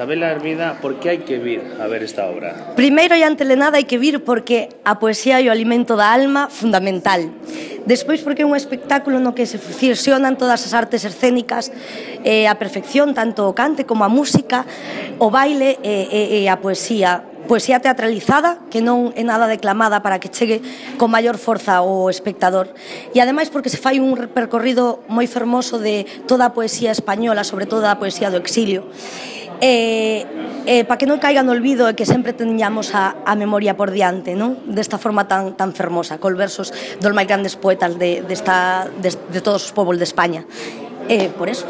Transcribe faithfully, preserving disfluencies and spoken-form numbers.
Isabela Hermida, por que hai que vir a ver esta obra? Primeiro e ante de nada hai que vir porque a poesía é o alimento da alma fundamental. Despois porque é un espectáculo no que se fusionan todas as artes escénicas e a perfección, tanto o cante como a música, o baile e, e, e a poesía. Poesía teatralizada, que non é nada declamada para que chegue con maior forza ao espectador. E ademais porque se fai un percorrido moi fermoso de toda a poesía española, sobre todo a poesía do exilio. E, e para que non caiga no olvido e que sempre teñamos a, a memoria por diante, non? Desta forma tan, tan fermosa, col versos dos máis grandes poetas de, de, esta, de, de todos os povos de España. E por eso.